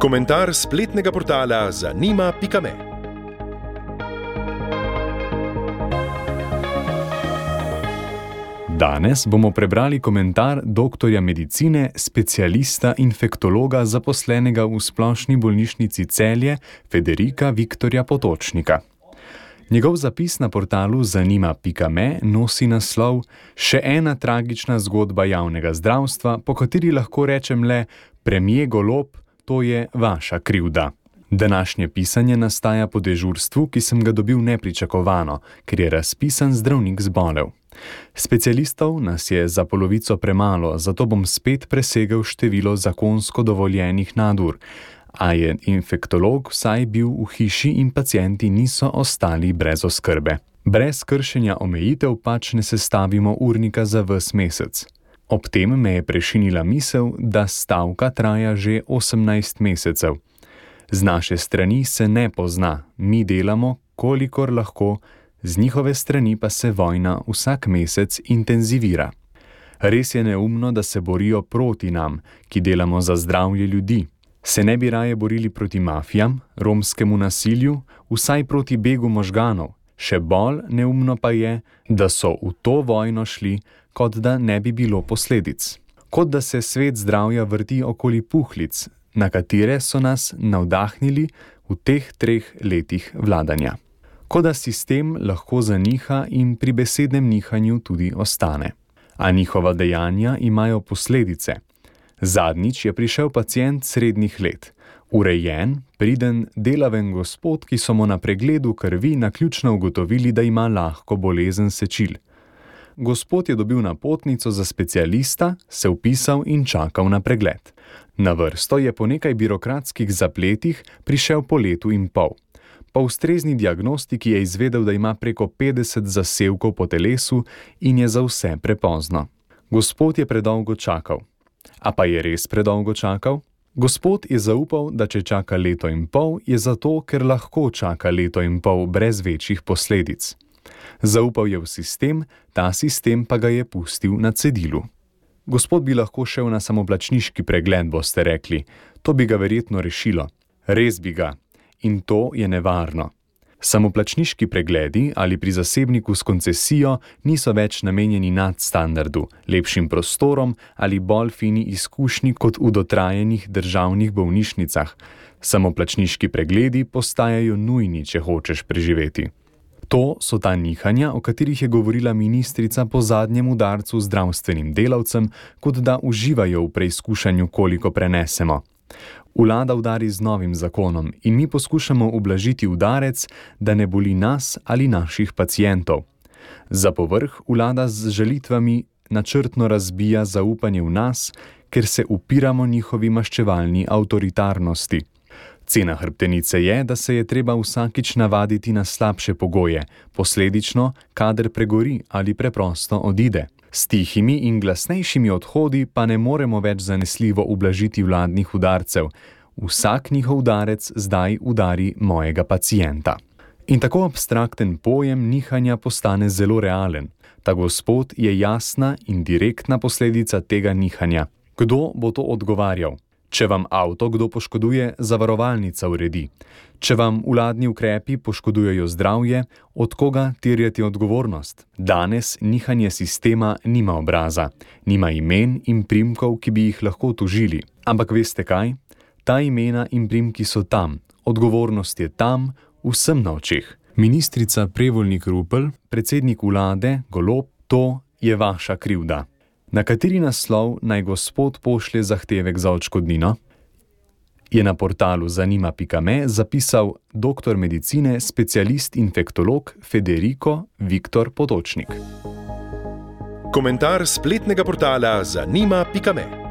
Komentar spletnega portala zanima.me. Danes bomo prebrali komentar doktorja medicine, specialista infektologa zaposlenega v Splošni bolnišnici Celje, Federika Viktorja Potočnika. Njegov zapis na portalu zanima.me nosi naslov Še ena tragična zgodba javnega zdravstva, po kateri lahko rečem le premier Golob, to je vaša krivda. Današnje pisanje nastaja po dežurstvu, ki sem ga dobil nepričakovano, ker je razpisan zdravnik zbolel. Specialistov nas je za polovico premalo, zato bom spet presegel število zakonsko dovoljenih nadur, a je infektolog vsaj bil v hiši in pacienti niso ostali brez oskrbe. Brez kršenja omejitev pač ne sestavimo urnika za ves mesec. Ob tem me je prešinila misel, da stavka traja že 18 mesecev. Z naše strani se ne pozna, mi delamo, kolikor lahko, z njihove strani pa se vojna vsak mesec intenzivira. Res je neumno, da se borijo proti nam, ki delamo za zdravje ljudi. Se ne bi raje borili proti mafijam, romskemu nasilju, vsaj proti begu možganov. Še bolj neumno pa je, da so v to vojno šli, kot da ne bi bilo posledic. Kot da se svet zdravja vrti okoli puhlic, na katere so nas navdahnili v teh 3 letih vladanja. Kot da sistem lahko zaniha in pri besednem nihanju tudi ostane. A njihova dejanja imajo posledice. Zadnjič je prišel pacient srednjih let, urejen, priden, delaven gospod, ki so mu na pregledu krvi naključno ugotovili, da ima lahko bolezen sečil. Gospod je dobil napotnico za specialista, se vpisal in čakal na pregled. Na vrsto je po nekaj birokratskih zapletih prišel po letu in pol. Po ustrezni diagnostiki je izvedel, da ima preko 50 zasevkov po telesu in je za vse prepozno. Gospod je predolgo čakal. A pa je res predolgo čakal? Gospod je zaupal, da če čaka leto in pol, je zato, ker lahko čaka leto in pol brez večjih posledic. Zaupal je v sistem, ta sistem pa ga je pustil na cedilu. Gospod bi lahko šel na samoplačniški pregled, boste rekli. To bi ga verjetno rešilo. Res bi ga. In to je nevarno. Samoplačniški pregledi ali pri zasebniku s koncesijo niso več namenjeni nadstandardu, lepšim prostorom ali bolj fini izkušnji kot v dotrajenih državnih bolnišnicah. Samoplačniški pregledi postajajo nujni, če hočeš preživeti. To so ta nihanja, o katerih je govorila ministrica po zadnjem udarcu zdravstvenim delavcem, kot da uživajo v preizkušanju, koliko prenesemo. Vlada udari z novim zakonom in mi poskušamo ublažiti udarec, da ne boli nas ali naših pacientov. Za povrh vlada z žalitvami načrtno razbija zaupanje v nas, ker se upiramo njihovi maščevalni avtoritarnosti. Cena hrbtenice je, da se je treba vsakič navaditi na slabše pogoje, posledično, kader pregori ali preprosto odide. S tihimi in glasnejšimi odhodi pa ne moremo več zanesljivo ublažiti vladnih udarcev. Vsak njihov udarec zdaj udari mojega pacienta. In tako abstrakten pojem nihanja postane zelo realen. Ta gospod je jasna in direktna posledica tega nihanja. Kdo bo to odgovarjal? Če vam avto kdo poškoduje, zavarovalnica uredi. Če vam vladni ukrepi poškodujejo zdravje, od koga terjati odgovornost? Danes nihanje sistema nima obraza, nima imen in primkov, ki bi jih lahko tožili. Ampak veste kaj? Ta imena in primki so tam, odgovornost je tam, vsem na očeh. Ministrica Prevolnik Rupel, predsednik vlade Golob, to je vaša krivda. Na kateri naslov naj gospod pošlje zahtevek za odškodnino? Je na portalu zanima.me zapisal doktor medicine, specialist infektolog Federiko Viktor Potočnik. Komentar spletnega portala zanima.me.